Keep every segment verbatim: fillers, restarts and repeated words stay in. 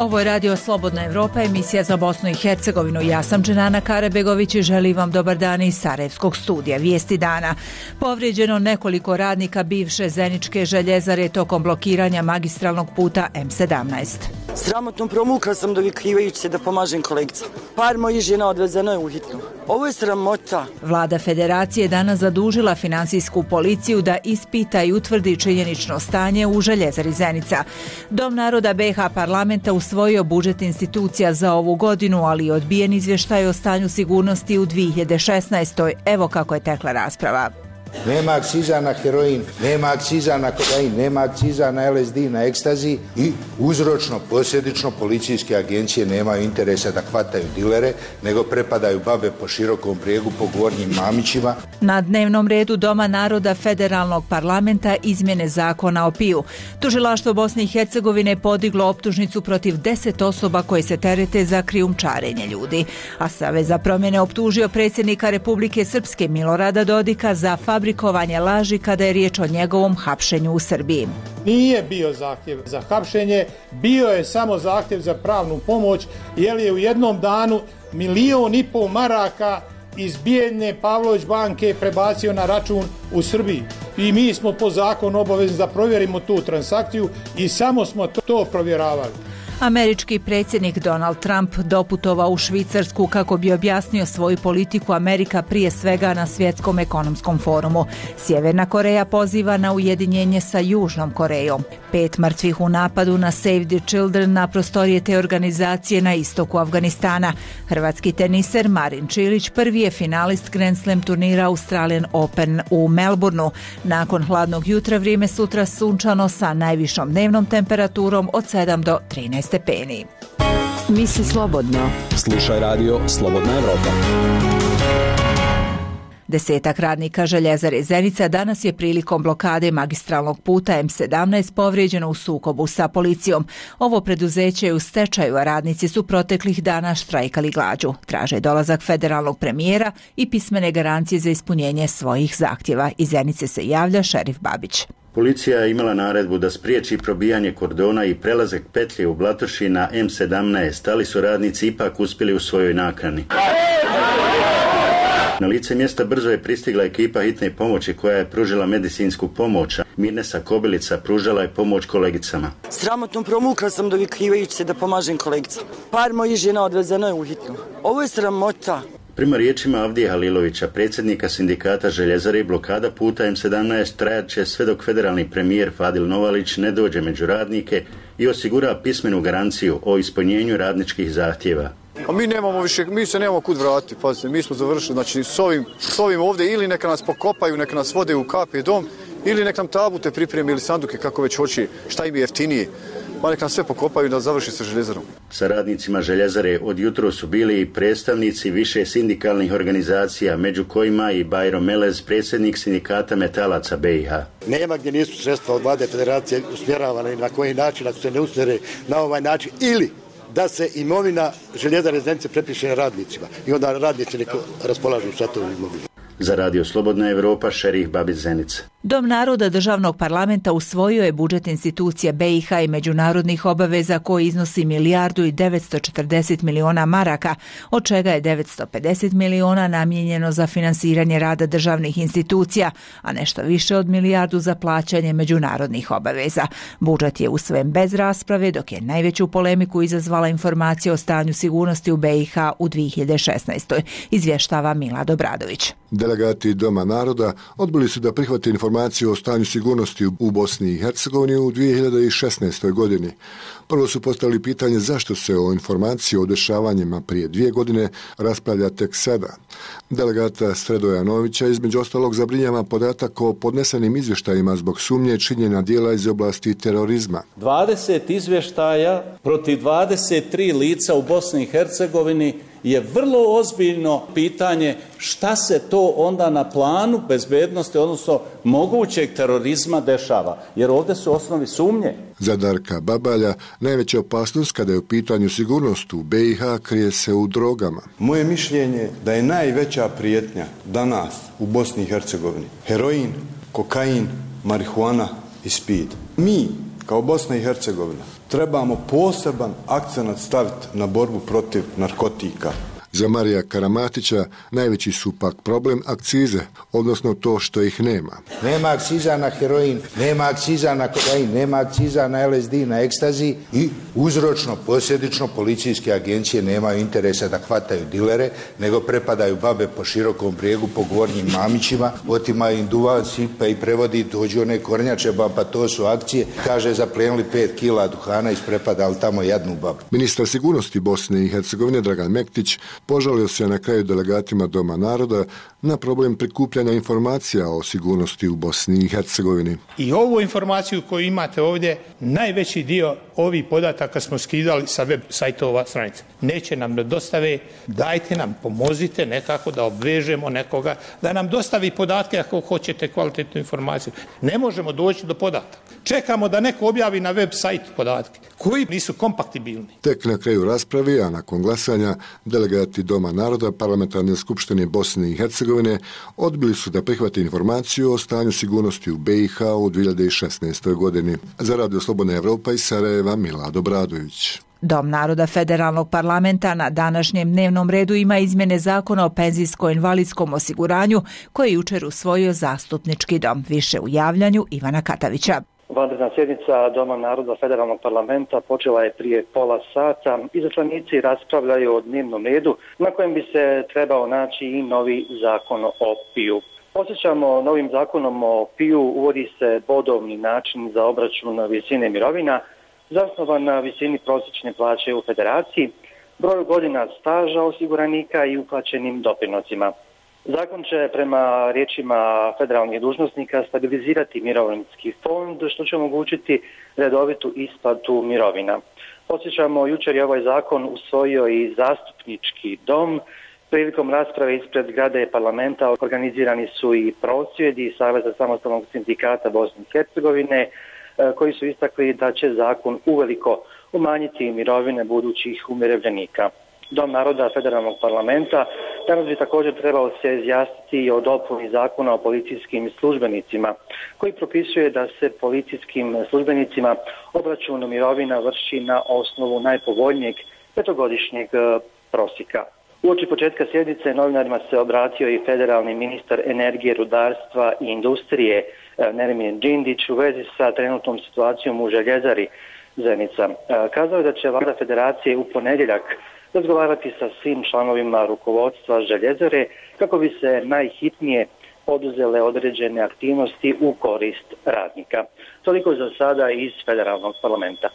Ovo je Radio Slobodna Evropa, emisija za Bosnu i Hercegovinu. Ja sam Dženana Karabegović i želim vam dobar dan iz Sarajevskog studija. Vijesti dana. Povrijeđeno nekoliko radnika bivše Zeničke željezare tokom blokiranja magistralnog puta M sedamnaest. Sramotno promukla sam dovikrivajući se da pomažem kolegica. Par mojih žena odvezeno je u hitnu. Ovo je sramota. Vlada Federacije danas zadužila finansijsku policiju da ispita i utvrdi činjenično stanje u željezari Zenica. Dom naroda B iH parlamenta usvojio budžet institucija za ovu godinu, ali odbijen izvještaj o stanju sigurnosti u dvije hiljade šesnaestoj. Evo kako je tekla rasprava. Nema akciza na heroin, nema akciza na kokain, nema akciza na L S D, na ekstazi i uzročno, posljedično policijske agencije nemaju interesa da hvataju dilere, nego prepadaju babe po širokom brijegu po gornjim mamićima. Na dnevnom redu Doma naroda Federalnog parlamenta izmjene zakona o piju. Tužilaštvo Bosne i Hercegovine podiglo optužnicu protiv deset osoba koje se terete za krijumčarenje ljudi. A Savez za promjene optužio predsjednika Republike Srpske Milorada Dodika za fabrikovanje laži kada je riječ o njegovom hapšenju u Srbiji. Nije bio zahtjev za hapšenje, bio je samo zahtjev za pravnu pomoć, jer je u jednom danu milion i pol maraka iz bijedne Pavlović banke prebacio na račun u Srbiji. I mi smo po zakonu obavezni da provjerimo tu transakciju i samo smo to, to provjeravali. Američki predsjednik Donald Trump doputovao u Švicarsku kako bi objasnio svoju politiku Amerika prije svega na svjetskom ekonomskom forumu. Sjeverna Koreja poziva na ujedinjenje sa Južnom Korejom. Pet mrtvih u napadu na Save the Children na prostorije te organizacije na istoku Afganistana. Hrvatski teniser Marin Čilić prvi je finalist Grand Slam turnira Australian Open u Melbourneu. Nakon hladnog jutra vrijeme sutra sunčano sa najvišom dnevnom temperaturom od sedam do trinaest stepeni. Misli slobodno. Slušaj radio Slobodna Evropa. Desetak radnika željezare Zenica danas je prilikom blokade magistralnog puta M sedamnaest povrijeđeno u sukobu sa policijom. Ovo preduzeće je u stečaju, a radnici su proteklih dana štrajkali glađu. Traže dolazak federalnog premijera i pismene garancije za ispunjenje svojih zahtjeva. Iz Zenice se javlja šerif Babić. Policija je imala naredbu da spriječi probijanje kordona i prelazak petlje u Blatoši na M sedamnaest, ali su radnici ipak uspjeli u svojoj nakani. Na lice mjesta brzo je pristigla ekipa hitne pomoći koja je pružila medicinsku pomoć. Mirnesa Kobilica pružala je pomoć kolegicama. Sramotno promukla sam dovikrivajući se da pomažem kolegica. Par mojih žena odvezeno je u hitnu. Ovo je sramota. Prema riječima Avdije Halilovića, predsjednika sindikata željezare, blokada puta M sedamnaest trajat će sve dok federalni premijer Fadil Novalić ne dođe među radnike i osigura pismenu garanciju o ispunjenju radničkih zahtjeva. A mi nemamo više, mi se nemamo kud vratiti, pazite, mi smo završili, znači s ovim, s ovim ovdje ili neka nas pokopaju, neka nas vode u K P dom, ili neka nam tabute pripremi ili sanduke kako već hoće, šta im je jeftinije. Pa nek nam sve pokopaju da završi sa željezarom. Sa radnicima željezare od jutro su bili i predstavnici više sindikalnih organizacija, među kojima i Bajro Melez, predsjednik sindikata metalaca B iH. Nema gdje nisu sredstva od vlade federacije usmjeravane na koji način, ako se ne usmjere na ovaj način, ili da se imovina željezare Zenice prepiše radnicima i onda radnici neko raspolažu sa tom imovinom. Za Radio Slobodna Evropa, šerif Babić Zenica. Dom naroda državnog parlamenta usvojio je budžet institucija B iH i međunarodnih obaveza koji iznosi milijardu i devetsto četrdeset miliona maraka, od čega je devetsto pedeset miliona namijenjeno za finansiranje rada državnih institucija, a nešto više od milijardu za plaćanje međunarodnih obaveza. Budžet je usvojen bez rasprave, dok je najveću polemiku izazvala informacija o stanju sigurnosti u B iH u dvije hiljade šesnaestoj. Izvještava Milad Obradović. Delegati Doma naroda odbili su da prihvate informaciju o stanju sigurnosti u Bosni i Hercegovini u dvije hiljade šesnaestoj godini. Prvo su postavili pitanje zašto se o informaciji o dešavanjima prije dvije godine raspravlja tek sada. Delegata Sredoja Novića između ostalog zabrinjava podatak o podnesenim izvještajima zbog sumnje činjenja dijela iz oblasti terorizma. dvadeset izvještaja protiv dvadeset tri lica u Bosni i Hercegovini je vrlo ozbiljno pitanje šta se to onda na planu bezbednosti, odnosno mogućeg terorizma dešava, jer ovdje su osnovi sumnje. Za Darka Babalja najveća opasnost kada je u pitanju sigurnost u B iH krije se u drogama. Moje mišljenje da je najveća prijetnja danas u Bosni i Hercegovini heroin, kokain, marihuana i speed. Mi kao Bosna i Hercegovina trebamo poseban akcenat staviti na borbu protiv narkotika. Za Marija Karamatića najveći su pak problem akcize, odnosno to što ih nema. Nema akciza na heroin, nema akciza na kokain, nema akciza na L S D, na ekstazi i uzročno, posljedično policijske agencije nemaju interesa da hvataju dilere, nego prepadaju babe po širokom brijegu, po gornjim Mamićima, otimaju im duvan, sipe i prevodi, dođu one kornjače, pa to su akcije, kaže zaplijenili pet kila duhana, isprepadali tamo jadnu babu. Ministar sigurnosti Bosne i Hercegovine Dragan Mektić požalio se na kraju delegatima Doma naroda na problem prikupljanja informacija o sigurnosti u Bosni i Hercegovini. I ovu informaciju koju imate ovdje, najveći dio ovih podataka smo skidali sa web sajtova stranica. Neće nam da dostave, dajte nam, pomozite nekako da obvežemo nekoga, da nam dostavi podatke ako hoćete kvalitetnu informaciju. Ne možemo doći do podataka. Čekamo da neko objavi na web sajt podatke koji nisu kompatibilni. Tek na kraju raspravi, a nakon glasanja, delegati Doma naroda Parlamentarne skupštine Bosne i Hercegovine odbili su da prihvate informaciju o stanju sigurnosti u B i H u dvije hiljade šesnaestoj godini. Za Radio Slobodna Evropa iz Sarajeva, Milad Obradović. Dom naroda Federalnog parlamenta na današnjem dnevnom redu ima izmjene zakona o penzijsko-invalidskom osiguranju koje je jučer usvojio zastupnički dom. Više u javljanju Ivana Katavića. Vanredna sjednica Doma naroda Federalnog parlamenta počela je prije pola sata. Izaslanici raspravljaju o dnevnom redu na kojem bi se trebao naći i novi zakon o P I U. Posjećamo, novim zakonom o P I U uvodi se bodovni način za obračun visine mirovina zasnovan na visini prosječne plaće u federaciji, broju godina staža osiguranika i uplaćenim doprinosima. Zakon će prema riječima federalnih dužnosnika stabilizirati mirovinski fond, što će omogućiti redovitu isplatu mirovina. Posjećamo, jučer je ovaj zakon usvojio i zastupnički dom. Prilikom rasprave ispred zgrade parlamenta organizirani su i prosvjedi Saveza samostalnog sindikata Bosne i Hercegovine, koji su istakli da će zakon uveliko umanjiti mirovine budućih umirovljenika. Dom naroda Federalnog parlamenta danas bi također trebao se izjasniti o dopuni zakona o policijskim službenicima, koji propisuje da se policijskim službenicima obračun mirovina vrši na osnovu najpovoljnijeg petogodišnjeg prosjeka. Uoči početka sjednice novinarima se obratio i federalni ministar energije, rudarstva i industrije Nermin Džindić u vezi sa trenutnom situacijom u željezari Zenica. Kazao je da će vlada federacije u ponedjeljak razgovarati sa svim članovima rukovodstva željezare kako bi se najhitnije poduzele određene aktivnosti u korist radnika. Toliko za sada iz Federalnog parlamenta.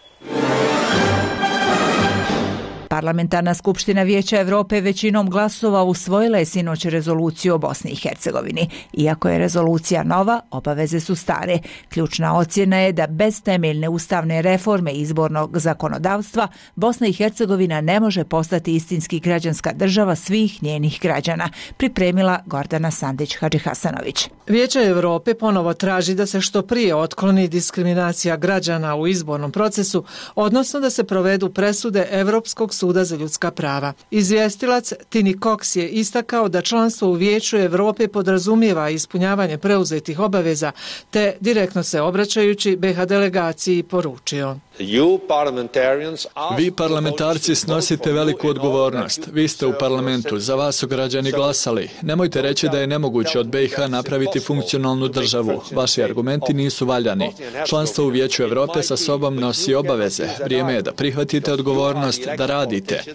Parlamentarna skupština Vijeća Europe većinom glasova usvojila je sinoć rezoluciju o Bosni i Hercegovini. Iako je rezolucija nova, obaveze su stare. Ključna ocjena je da bez temeljne ustavne reforme izbornog zakonodavstva Bosna i Hercegovina ne može postati istinski građanska država svih njenih građana, pripremila Gordana Sandić-Hadžihasanović. Vijeće Europe ponovo traži da se što prije otkloni diskriminacija građana u izbornom procesu, odnosno da se provedu presude Europskog suda za ljudska prava. Izvjestilac Tini Cox je istakao da članstvo u Vijeću Europe podrazumijeva ispunjavanje preuzetih obaveza, te direktno se obraćajući B i H delegaciji poručio. Vi parlamentarci snosite veliku odgovornost. Vi ste u parlamentu, za vas su građani glasali. Nemojte reći da je nemoguće od B i H napraviti funkcionalnu državu. Vaši argumenti nisu valjani. Članstvo u Vijeću Europe sa sobom nosi obaveze. Vrijeme je da prihvatite odgovornost, da radite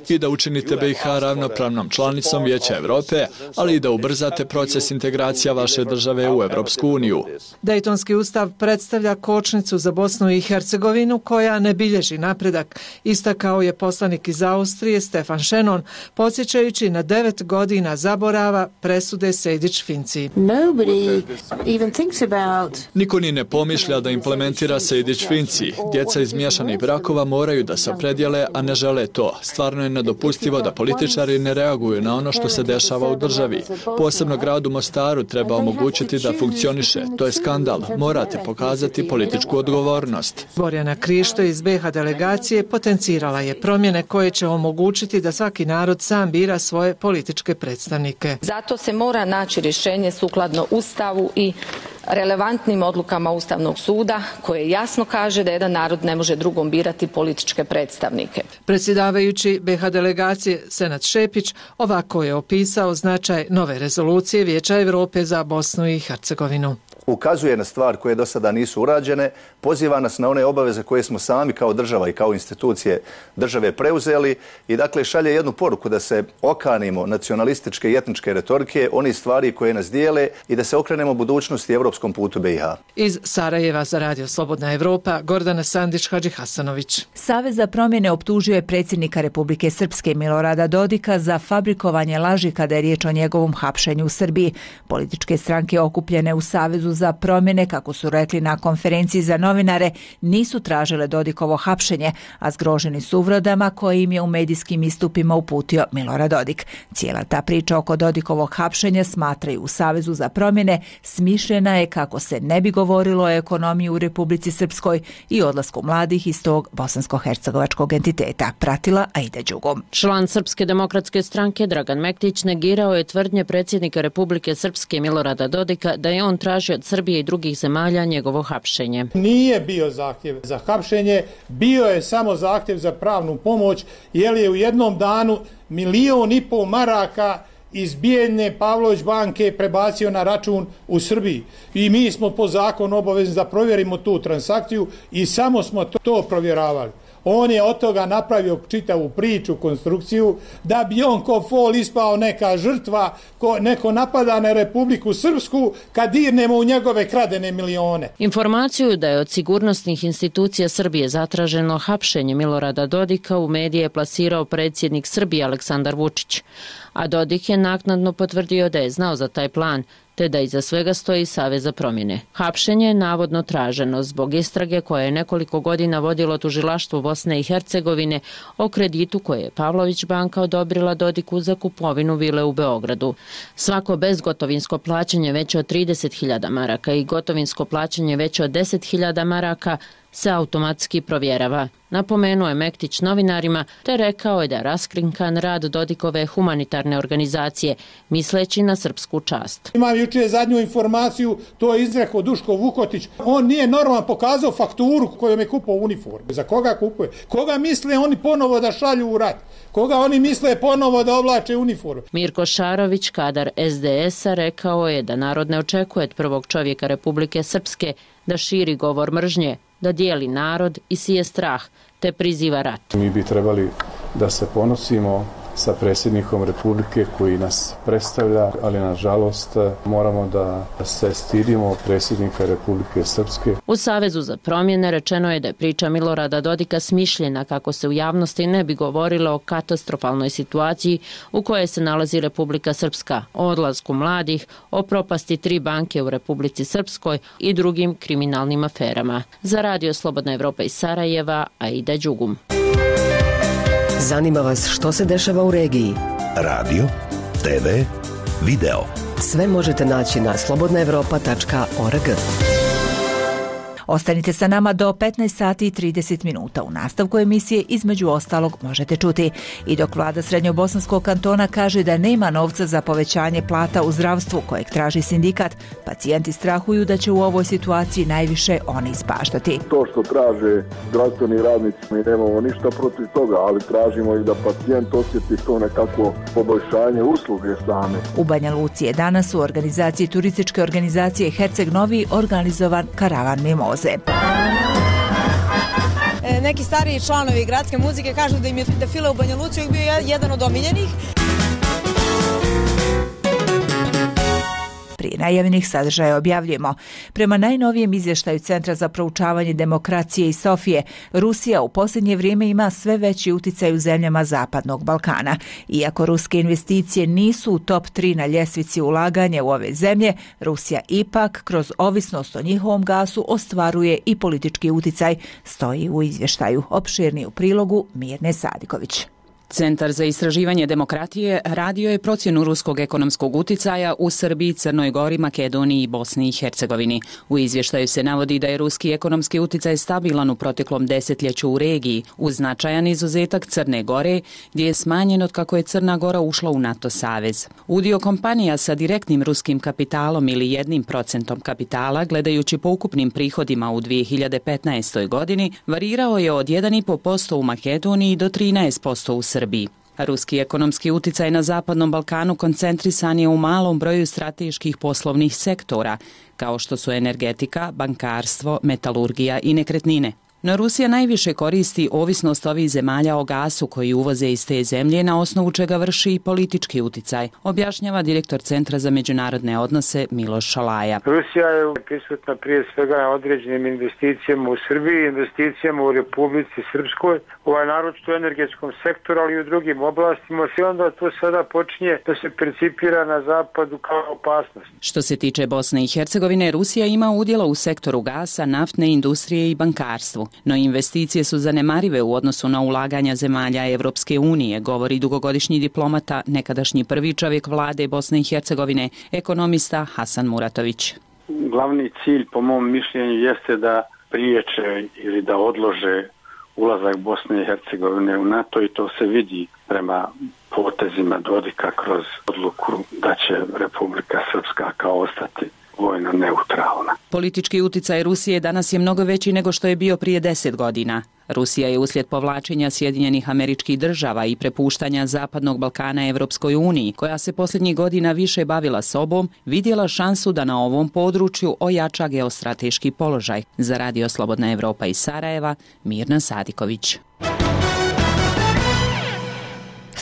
i da učinite B i H ravnopravnom članicom Vijeća Europe, ali i da ubrzate proces integracija vaše države u Europsku uniju. Dejtonski ustav predstavlja kočnicu za Bosnu i Hercegovinu koja ne bilježi napredak, istakao je poslanik iz Austrije Stefan Shannon, podsjećajući na devet godina zaborava presude Sejdić-Finci. Niko ni ne pomišlja da implementira Sejdić-Finci. Djeca iz miješanih brakova moraju da se opredijele, a ne žele to. Stvarno je nedopustivo da političari ne reaguju na ono što se dešava u državi. Posebno gradu Mostaru treba omogućiti da funkcioniše. To je skandal. Morate pokazati političku odgovornost. Borjana Krišto iz B i H delegacije potencirala je promjene koje će omogućiti da svaki narod sam bira svoje političke predstavnike. Zato se mora naći rješenje sukladno Ustavu i relevantnim odlukama Ustavnog suda koje jasno kaže da jedan narod ne može drugom birati političke predstavnike. Predsjedavajući B iH delegacije Senad Šepić ovako je opisao značaj nove rezolucije Vijeća Europe za Bosnu i Hercegovinu. Ukazuje na stvar koje do sada nisu urađene, poziva nas na one obaveze koje smo sami kao država i kao institucije države preuzeli i dakle šalje jednu poruku da se okanimo nacionalističke i etničke retorike, oni stvari koje nas dijele i da se okrenemo budućnosti i evropskom putu B iH. Iz Sarajeva za Radio Slobodna Evropa, Gordana Sandić Hadži Hasanović. Savez za promjene optužio je predsjednika Republike Srpske Milorada Dodika za fabrikovanje laži kada je riječ o njegovom hapšenju u Srbiji. Političke stranke okupljene u Savezu za promjene, kako su rekli na konferenciji za novinare, nisu tražile Dodikovo hapšenje, a zgroženi su uvredama koje im je u medijskim istupima uputio Milorad Dodik. Cijela ta priča oko Dodikovog hapšenja, smatraju u Savezu za promjene, smišljena je kako se ne bi govorilo o ekonomiji u Republici Srpskoj i odlasku mladih iz tog bosansko-hercegovačkog entiteta. Pratila Aida Đugom. Član Srpske demokratske stranke Dragan Mektić negirao je tvrdnje predsjednika Republike Srpske Milorada Dodika da je on tražio od Srbije i drugih zemalja njegovo hapšenje. Nije bio zahtjev za hapšenje, bio je samo zahtjev za pravnu pomoć, jer je u jednom danu milion i pol maraka iz bijedne Pavlović banke prebacio na račun u Srbiji. I mi smo po zakonu obavezni da provjerimo tu transakciju i samo smo to, to provjeravali. On je od toga napravio čitavu priču, konstrukciju, da bi on ko fol ispao neka žrtva, ko neko napada na Republiku Srpsku kad dirnemo u njegove kradene milione. Informaciju da je od sigurnosnih institucija Srbije zatraženo hapšenje Milorada Dodika u medije je plasirao predsjednik Srbije Aleksandar Vučić, a Dodik je naknadno potvrdio da je znao za taj plan, te da iza svega stoji Savez za promjene. Hapšenje je navodno traženo zbog istrage koje je nekoliko godina vodilo tužilaštvo Bosne i Hercegovine o kreditu koje je Pavlović banka odobrila Dodiku za kupovinu vile u Beogradu. Svako bezgotovinsko plaćanje veće od trideset hiljada maraka i gotovinsko plaćanje veće od deset hiljada maraka se automatski provjerava. Napomenuo je Mektić novinarima te rekao je da je raskrinkan rad Dodikove humanitarne organizacije, misleći na srpsku čast. Imam jučer zadnju informaciju, to je izrekao Duško Vukotić. On nije normalno pokazao fakturu kojom je kupao uniformu. Za koga kupuje? Koga misle oni ponovo da šalju u rat? Koga oni misle ponovo da oblače uniformu? Mirko Šarović, kadar S D S-a, rekao je da narod ne očekuje od prvog čovjeka Republike Srpske da širi govor mržnje, da dijeli narod i sije strah, te priziva rat. Mi bi trebali da se ponosimo sa predsjednikom Republike koji nas predstavlja, ali nažalost moramo da se stidimo predsjednika Republike Srpske. U Savezu za promjene rečeno je da je priča Milorada Dodika smišljena kako se u javnosti ne bi govorilo o katastrofalnoj situaciji u kojoj se nalazi Republika Srpska, o odlasku mladih, o propasti tri banke u Republici Srpskoj i drugim kriminalnim aferama. Za Radio Slobodna Evropa iz Sarajeva, Aida Đugum. Zanima vas što se dešava u regiji? Radio, te ve, video. Sve možete naći na slobodna evropa tačka org. Ostanite sa nama do petnaest sati i trideset minuta. U nastavku emisije između ostalog možete čuti. I dok vlada Srednjobosanskog kantona kaže da nema novca za povećanje plata u zdravstvu kojeg traži sindikat, pacijenti strahuju da će u ovoj situaciji najviše oni ispaštati. To što traže zdravstveni radnici, mi nemamo ništa protiv toga, ali tražimo i da pacijent osjeti to nekako poboljšanje usluge same. U Banja Luci je danas u organizaciji turističke organizacije Herceg Novi organizovan karavan mimoze. Neki stariji članovi gradske muzike kažu da im je defile u Banja Luci bio jedan od omiljenih. Prije najavljenih sadržaja objavljujemo. Prema najnovijem izvještaju Centra za proučavanje demokracije iz Sofije, Rusija u posljednje vrijeme ima sve veći uticaj u zemljama Zapadnog Balkana. Iako ruske investicije nisu u top tri na ljestvici ulaganja u ove zemlje, Rusija ipak kroz ovisnost o njihovom gasu ostvaruje i politički uticaj, stoji u izvještaju. Opširni u prilogu Mirne Sadiković. Centar za istraživanje demokratije radio je procjenu ruskog ekonomskog uticaja u Srbiji, Crnoj Gori, Makedoniji i Bosni i Hercegovini. U izvještaju se navodi da je ruski ekonomski uticaj stabilan u proteklom desetljeću u regiji, uz značajan izuzetak Crne Gore, gdje je smanjen od kako je Crna Gora ušla u NATO savez. Udio kompanija sa direktnim ruskim kapitalom ili jednim procentom kapitala, gledajući po ukupnim prihodima u dvije hiljade petnaestoj godini, varirao je od jedan zarez pet posto u Makedoniji do trinaest posto u Srbiji. Srbiji. Ruski ekonomski uticaj na Zapadnom Balkanu koncentrisan je u malom broju strateških poslovnih sektora, kao što su energetika, bankarstvo, metalurgija i nekretnine. No Rusija najviše koristi ovisnost ovih zemalja o gasu koji uvoze iz te zemlje, na osnovu čega vrši i politički uticaj, objašnjava direktor Centra za međunarodne odnose Miloš Šalaja. Rusija je prisutna prije svega na određenim investicijama u Srbiji, investicijama u Republici Srpskoj, ovaj naročito u energetskom sektoru, ali i u drugim oblastima, i onda to sada počinje da se percipira na zapadu kao opasnost. Što se tiče Bosne i Hercegovine, Rusija ima udjela u sektoru gasa, naftne industrije i bankarstvu. No investicije su zanemarive u odnosu na ulaganja zemalja Evropske unije, govori dugogodišnji diplomata, nekadašnji prvi čovjek vlade Bosne i Hercegovine, ekonomista Hasan Muratović. Glavni cilj, po mom mišljenju, jeste da priječe ili da odlože ulazak Bosne i Hercegovine u NATO, i to se vidi prema potezima Dodika kroz odluku da će Republika Srpska kao ostati vojno neutralna. Politički uticaj Rusije danas je mnogo veći nego što je bio prije deset godina. Rusija je uslijed povlačenja Sjedinjenih Američkih Država i prepuštanja Zapadnog Balkana Evropskoj uniji, koja se posljednjih godina više bavila sobom, vidjela šansu da na ovom području ojača geostrateški položaj. Za Radio Slobodna Evropa iz Sarajeva, Mirna Sadiković.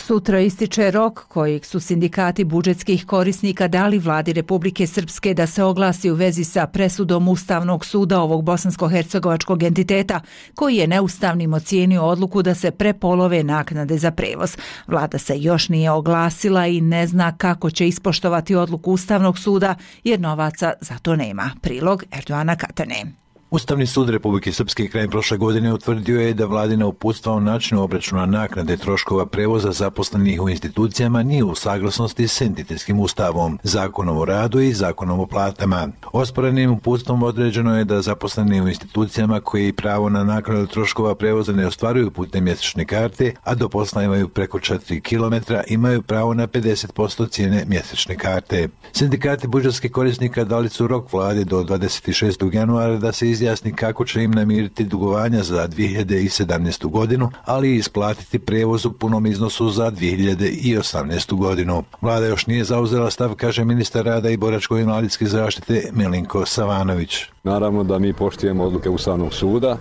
Sutra ističe rok kojeg su sindikati budžetskih korisnika dali vladi Republike Srpske da se oglasi u vezi sa presudom Ustavnog suda ovog bosansko-hercegovačkog entiteta, koji je neustavnim ocijenio odluku da se prepolove naknade za prevoz. Vlada se još nije oglasila i ne zna kako će ispoštovati odluku Ustavnog suda, jer novaca za to nema. Prilog Erdoana Katane. Ustavni sud Republike Srpske krajem prošle godine utvrdio je da vladina uputstva o načinu obračuna naknade troškova prevoza zaposlenih u institucijama nije u saglasnosti s entitetskim ustavom, zakonom o radu i zakonom o platama. Osporenim uputstvom određeno je da zaposleni u institucijama koji pravo na naknadu troškova prevoza ne ostvaruju putem mjesečne karte, a do posla imaju preko četiri kilometra, imaju pravo na pedeset posto cijene mjesečne karte. Sindikati budžetskih korisnika dali su rok vlade do dvadeset šestog januara da se izjasni kako će im namiriti dugovanja za dvije hiljade sedamnaestu godinu, ali i isplatiti prevoz u punom iznosu za dvije hiljade osamnaestu godinu. Vlada još nije zauzela stav, kaže ministar rada i boračko-invalidske zaštite Milinko Savanović. Naravno da mi poštujemo odluke Ustavnog suda.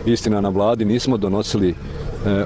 Istina, na vladi nismo donosili e,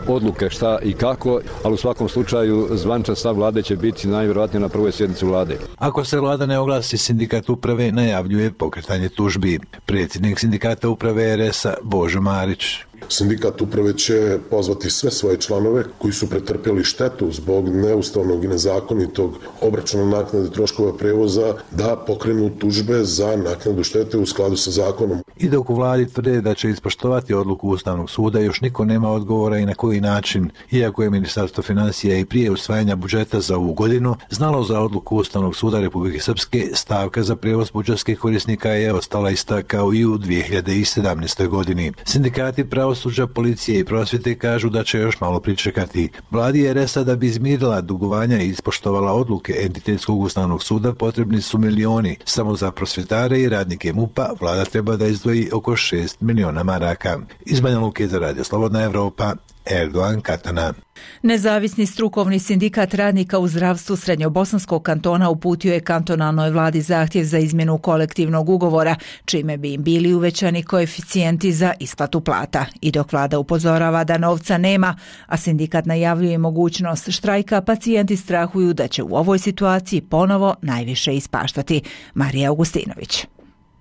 odluke šta i kako, ali u svakom slučaju zvaničan stav vlade će biti najvjerojatnije na prvoj sjednici vlade. Ako se vlada ne oglasi, sindikat uprave najavljuje pokretanje tužbi. Predsjednik sindikata uprave er es a Božo Marić. Sindikat uprave će pozvati sve svoje članove koji su pretrpjeli štetu zbog neustavnog i nezakonitog obračuna naknade troškova prevoza da pokrenu tužbe za naknadu štete u skladu sa zakonom. I dok u vladi tvrde da će ispoštovati odluku Ustavnog suda, još niko nema odgovora i na koji način, iako je Ministarstvo financija i prije usvajanja budžeta za ovu godinu znalo za odluku Ustavnog suda Republike Srpske, stavka za prevoz budžetskih korisnika je ostala ista kao i u dvije hiljade sedamnaestoj godini. Sindikati pravosuđa, policije i prosvjete kažu da će još malo pričekati. Vladi er es a da bi izmirila dugovanja i ispoštovala odluke entitetskog Ustavnog suda potrebni su milioni. Samo za prosvjetare i radnike MUP-a vlada treba da izdvoji oko šest miliona maraka. Iz Banja Luke za Radio Slobodna Evropa, Erdoan Katana. Nezavisni strukovni sindikat radnika u zdravstvu Srednjobosanskog kantona uputio je kantonalnoj vladi zahtjev za izmjenu kolektivnog ugovora, čime bi im bili uvećani koeficijenti za isplatu plata. I dok vlada upozorava da novca nema, a sindikat najavljuje mogućnost štrajka, pacijenti strahuju da će u ovoj situaciji ponovo najviše ispaštati. Marija Augustinović.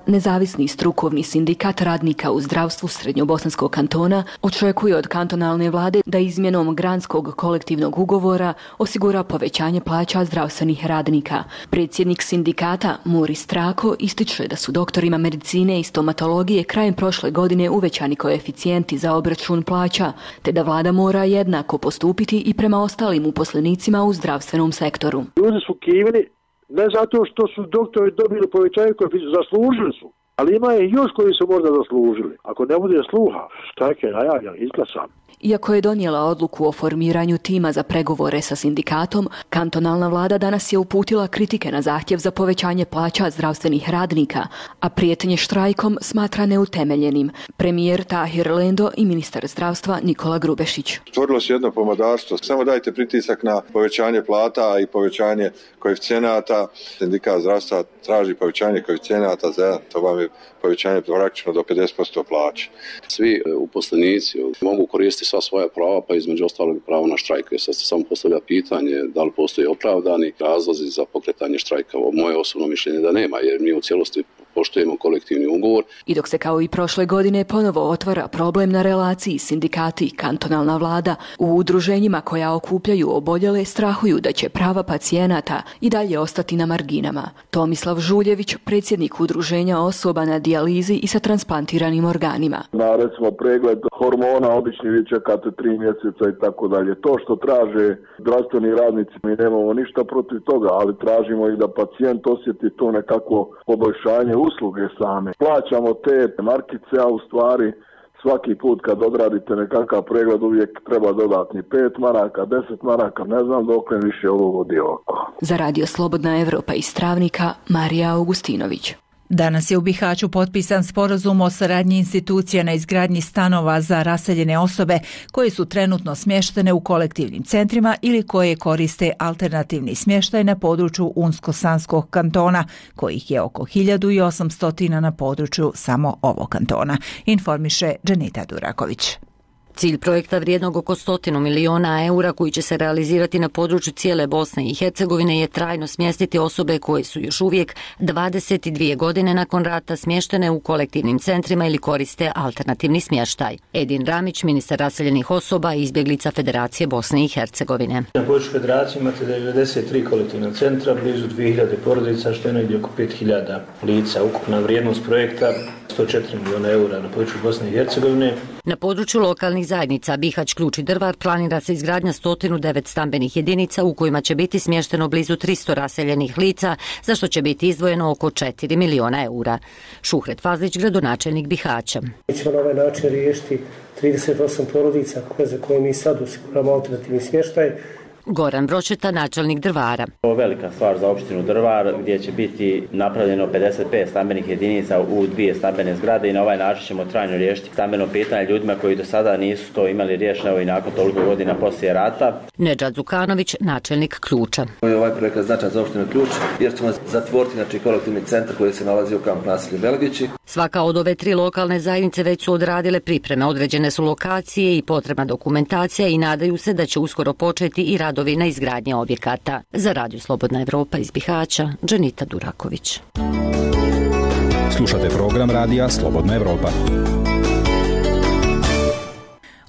Nezavisni strukovni sindikat radnika u zdravstvu Srednjobosanskog kantona očekuje od kantonalne vlade da izmjenom granskog kolektivnog ugovora osigura povećanje plaća zdravstvenih radnika. Predsjednik sindikata Muri Strako ističe da su doktorima medicine i stomatologije krajem prošle godine uvećani koeficijenti za obračun plaća, te da vlada mora jednako postupiti i prema ostalim uposlenicima u zdravstvenom sektoru. Ljudi su kivni ne zato što su doktori dobili povećanje koeficijenta, zaslužili su, ali ima je još koji su možda zaslužili. Ako ne bude sluha, štrajk je najavljan, izglasan. Iako je donijela odluku o formiranju tima za pregovore sa sindikatom, kantonalna vlada danas je uputila kritike na zahtjev za povećanje plaća zdravstvenih radnika, a prijetnje štrajkom smatra neutemeljenim. Premijer Tahir Lendo i ministar zdravstva Nikola Grubešić. Stvorilo se jedno pomodarstvo. Samo dajte pritisak na povećanje plata i povećanje koeficijenata. Sindikat zdravstva traži povećanje koeficijenata za jedan. To vam je povećanje praktično do pedeset posto plaće. Svi uposlenici mogu koristiti sva svoja prava, pa između ostalog pravo na štrajk. Sad se samo postavlja pitanje da li postoje opravdani razlozi za pokretanje štrajka. Moje osobno mišljenje da nema, jer mi u cijelosti poštujemo kolektivni ugovor. I dok se kao i prošle godine ponovo otvara problem na relaciji sindikati i kantonalna vlada, u udruženjima koja okupljaju oboljele strahuju da će prava pacijenata i dalje ostati na marginama. Tomislav Žuljević, predsjednik udruženja osoba na dijalizi i sa transplantiranim organima. Na recimo pregled hormona obični vi čekate tri mjeseca i tako dalje. To što traže zdravstveni radnici, mi nemamo ništa protiv toga, ali tražimo i da pacijent osjeti to nekako poboljšanje usluge same. Plaćamo te markice, a u stvari svaki put kad odradite nekakav pregled uvijek treba dodatni pet maraka, deset maraka, ne znam dokle više ovo vodi oko. Za Radio Slobodna Evropa iz Travnika, Marija Augustinović. Danas je u Bihaću potpisan sporazum o saradnji institucija na izgradnji stanova za raseljene osobe koje su trenutno smještene u kolektivnim centrima ili koje koriste alternativni smještaj na području Unsko-Sanskog kantona, kojih je oko hiljadu osamsto na području samo ovog kantona, informiše Dženita Duraković. Cilj projekta vrijednog oko stotinu miliona eura koji će se realizirati na području cijele Bosne i Hercegovine je trajno smjestiti osobe koje su još uvijek dvadeset dvije godine nakon rata smještene u kolektivnim centrima ili koriste alternativni smještaj. Edin Ramić, ministar raseljenih osoba i izbjeglica Federacije Bosne i Hercegovine. Na području Federacije imate devedeset tri kolektivna centra, blizu dvije hiljade porodica, što je negdje oko pet hiljada lica. Ukupna vrijednost projekta sto četiri miliona eura na području Bosne i Hercegovine. Na području lokalnih zajednica Bihać, Ključ i Drvar planira se izgradnja sto devet stambenih jedinica u kojima će biti smješteno blizu tristo raseljenih lica, za što će biti izdvojeno oko četiri miliona eura. Šuhret Fazlić, gradonačelnik Bihaća. Mi ćemo na ovaj način riješiti trideset osam porodica za koje mi sad osiguramo alternativni smještaj. Goran Bročeta, načelnik Drvara. Ovo je velika stvar za opštinu Drvar, gdje će biti napravljeno pedeset pet stambenih jedinica u dvije stambene zgrade i na ovaj način ćemo trajno riješiti stambeno pitanje ljudima koji do sada nisu to imali riješeno i nakon toliko godina poslije rata. Nedžad Zukanović, načelnik Ključa. Ovaj projekat je značajan za opštinu Ključ jer ćemo zatvoriti znači, kolektivni centar koji se nalazi u kamp naselju Belgići. Svaka od ove tri lokalne zajednice već su odradile pripreme, određene su lokacije i potrebna dokumentacija i nadaju se da će uskoro početi i radovi na izgradnji objekata. Za Radio Slobodna Evropa iz Bihaća, Dženita Duraković. Slušate program Radija Slobodna Evropa.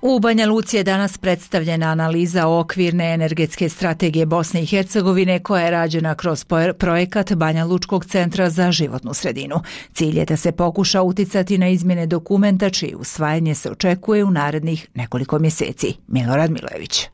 U Banja Luci je danas predstavljena analiza okvirne energetske strategije Bosne i Hercegovine koja je rađena kroz projekat Banja Lučkog centra za životnu sredinu. Cilj je da se pokuša uticati na izmjene dokumenta čije usvajanje se očekuje u narednih nekoliko mjeseci. Milorad Milojević.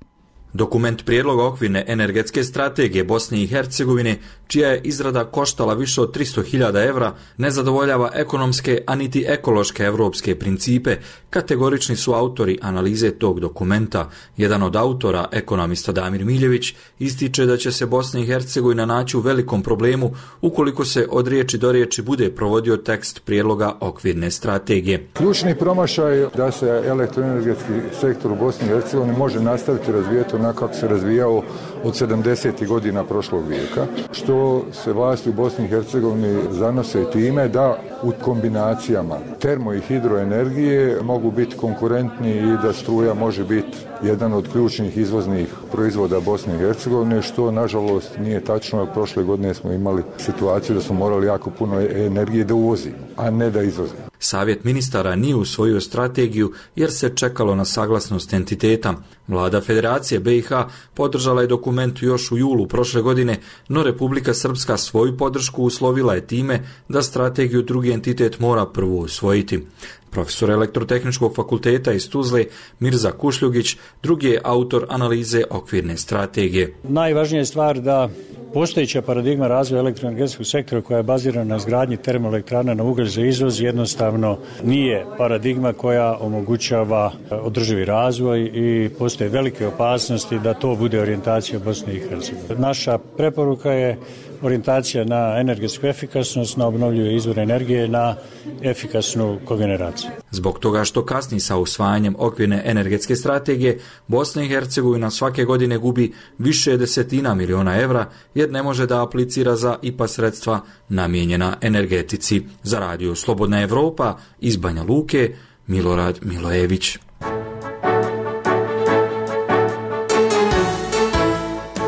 Dokument prijedloga okvirne energetske strategije Bosne i Hercegovine, čija je izrada koštala više od tristo hiljada evra, ne zadovoljava ekonomske, a niti ekološke evropske principe, kategorični su autori analize tog dokumenta. Jedan od autora, ekonomista Damir Miljević, ističe da će se Bosna i Hercegovina naći u velikom problemu ukoliko se od riječi do riječi bude provodio tekst prijedloga okvirne strategije. Ključni promašaj da se elektroenergetski sektor u Bosni i Hercegovini može nastaviti razvijeti onako kako se razvijao od sedamdesetih godina prošlog vijeka, što se vlasti u Bosni i Hercegovini zanose time da u kombinacijama termo i hidroenergije mogu biti konkurentni i da struja može biti jedan od ključnih izvoznih proizvoda Bosne i Hercegovine, što nažalost nije tačno. Prošle godine smo imali situaciju da smo morali jako puno energije da uvozimo, a ne da izvozimo. Savjet ministara nije usvojio strategiju jer se čekalo na saglasnost entiteta. Vlada Federacije B i H podržala je dokument još u julu prošle godine, no Republika Srpska svoju podršku uslovila je time da strategiju drugi entitet mora prvo usvojiti. Profesor Elektrotehničkog fakulteta iz Tuzle Mirza Kušljugić drugi je autor analize okvirne strategije. Najvažnija je stvar da postojeća paradigma razvoja elektroenergetskog sektora koja je bazirana na izgradnji termoelektrana na ugalj za izvoz jednostavno nije paradigma koja omogućava održivi razvoj i postoje velike opasnosti da to bude orijentacija Bosne i Hercegovine. Naša preporuka je orijentacija na energetsku efikasnost, na obnovljive izvore energije, na efikasnu kogeneraciju. Zbog toga što kasni sa usvajanjem okvirne energetske strategije, Bosna i Hercegovina svake godine gubi više desetina miliona evra jer ne može da aplicira za I P A sredstva namijenjena energetici. Za radio Slobodna Evropa iz Banja Luke, Milorad Milojević.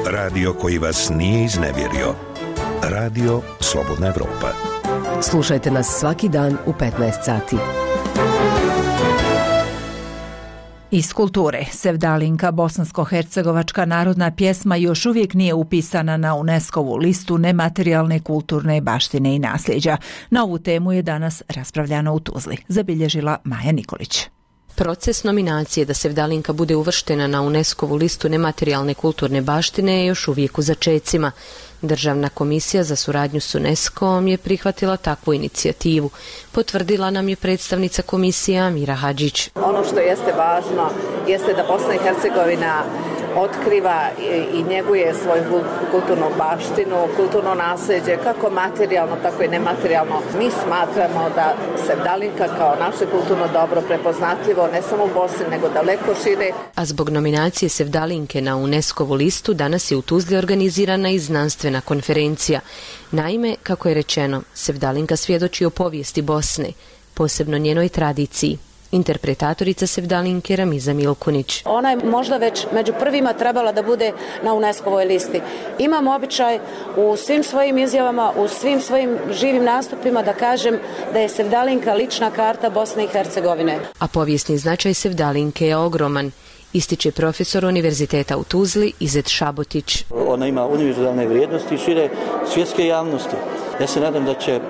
Radio koji vas nije iznevjerio. Radio Slobodna Evropa. Slušajte nas svaki dan u petnaest sati. Iz kulture, Sevdalinka, bosansko-hercegovačka narodna pjesma, još uvijek nije upisana na UNESCO-vu listu nematerijalne kulturne baštine i nasljeđa. Na ovu temu je danas raspravljano u Tuzli, zabilježila Maja Nikolić. Proces nominacije da Sevdalinka bude uvrštena na UNESCO-vu listu nematerijalne kulturne baštine je još uvijek u začecima. Državna komisija za suradnju s UNESCO-om je prihvatila takvu inicijativu. Potvrdila nam je predstavnica komisije Amira Hadžić. Ono što jeste važno jeste da Bosna i Hercegovina otkriva i njeguje svoju kulturnu baštinu, kulturno nasljeđe, kako materijalno, tako i nematerijalno. Mi smatramo da Sevdalinka kao naše kulturno dobro prepoznatljivo ne samo u Bosni, nego daleko šire. A zbog nominacije Sevdalinke na UNESCO-vu listu danas je u Tuzli organizirana i znanstvena konferencija. Naime, kako je rečeno, Sevdalinka svjedoči o povijesti Bosne, posebno njenoj tradiciji. Interpretatorica Sevdalinke Ramiza Milkunić. Ona je možda već među prvima trebala da bude na UNESCO-voj listi. Imam običaj u svim svojim izjavama, u svim svojim živim nastupima da kažem da je Sevdalinka lična karta Bosne i Hercegovine. A povijesni značaj Sevdalinke je ogroman, ističe profesor Univerziteta u Tuzli Izet Šabotić. Ona ima univerzalne vrijednosti i šire svjetske javnosti. Ja se nadam da će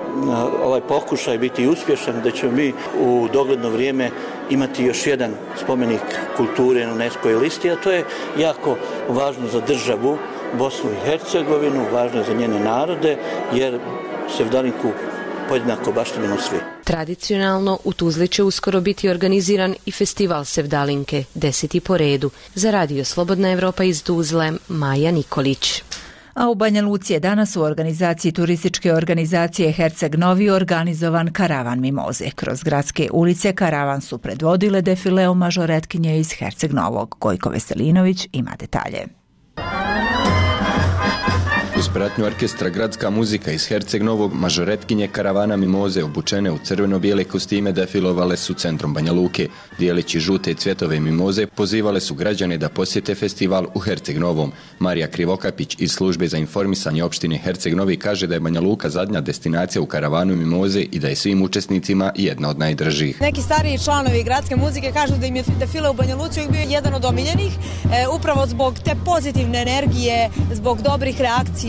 ovaj pokušaj biti uspješan, da ćemo mi u dogledno vrijeme imati još jedan spomenik kulture na UNESCO-voj listi, a to je jako važno za državu Bosnu i Hercegovinu, važno je za njene narode, jer Sevdalinku podjednako baštinimo svi. Tradicionalno u Tuzli će uskoro biti organiziran i festival Sevdalinke, deseti po redu. Za radio Slobodna Evropa iz Tuzle, Maja Nikolić. A u Banja Luci je danas u organizaciji turističke organizacije Herceg Novi organizovan karavan mimoze. Kroz gradske ulice karavan su predvodile defileo mažoretkinje iz Herceg Novog. Gojko Veselinović ima detalje. Uz pratnju orkestra Gradska muzika iz Herceg Novog, mažoretkinje karavana mimoze obučene u crveno-bijele kostime defilovale su centrom Banja Luke. Dijeleći žute cvjetove mimoze, pozivale su građane da posjete festival u Herceg Novom. Marija Krivokapić iz službe za informisanje opštine Herceg Novi kaže da je Banja Luka zadnja destinacija u karavanu mimoze i da je svim učesnicima jedna od najdržih. Neki stariji članovi Gradske muzike kažu da im je defile u Banja Luci bio jedan od omiljenih, e, upravo zbog te pozitivne energije, zbog dobrih reakcija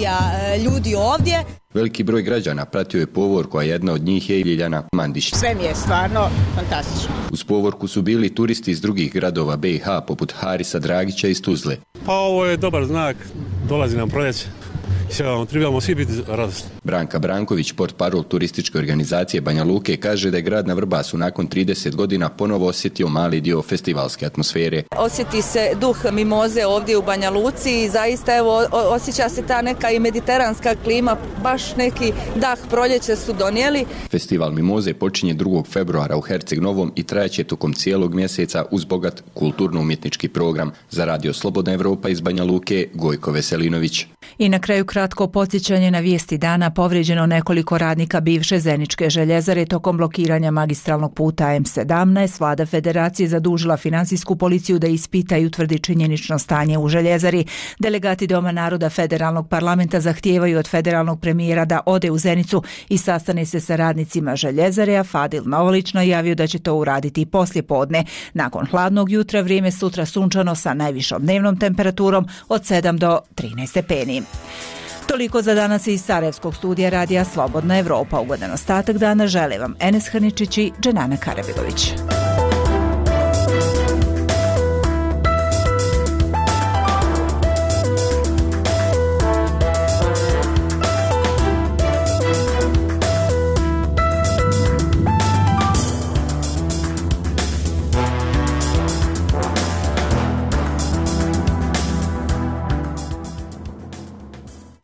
ljudi ovdje. Veliki broj građana pratio je povorku, a jedna od njih je Ljiljana Mandić. Sve mi je stvarno fantastično. Uz povorku su bili turisti iz drugih gradova B i H, poput Harisa Dragića iz Tuzle. Pa ovo je dobar znak, dolazi nam proljeće i trebamo svi biti radosni. Branka Branković, portparol turističke organizacije Banja Luke, kaže da je grad na Vrbasu nakon trideset godina ponovo osjetio mali dio festivalske atmosfere. Osjeti se duh mimoze ovdje u Banja Luci i zaista evo osjeća se ta neka i mediteranska klima, baš neki dah proljeća su donijeli. Festival mimoze počinje drugog februara u Herceg Novom i trajaće tokom cijelog mjeseca uz bogat kulturno-umjetnički program. Za Radio Slobodna Evropa iz Banja Luke, Gojko Veselinović. I na kraju kratko podsjećanje na vijesti dana. Povrijeđeno nekoliko radnika bivše Zeničke željezare tokom blokiranja magistralnog puta M sedamnaest. Vlada Federacije zadužila finansijsku policiju da ispita i utvrdi činjenično stanje u željezari. Delegati Doma naroda Federalnog parlamenta zahtijevaju od federalnog premijera da ode u Zenicu i sastane se sa radnicima željezare, a Fadil Novolić najavio da će to uraditi i poslije podne. Nakon hladnog jutra vrijeme sutra sunčano sa najvišom dnevnom temperaturom od sedam do trinaest stepeni. Toliko za danas iz Sarajevskog studija Radija Slobodna Evropa. Ugodan ostatak dana žele vam Enes Hrničić i Dženana Karabilović.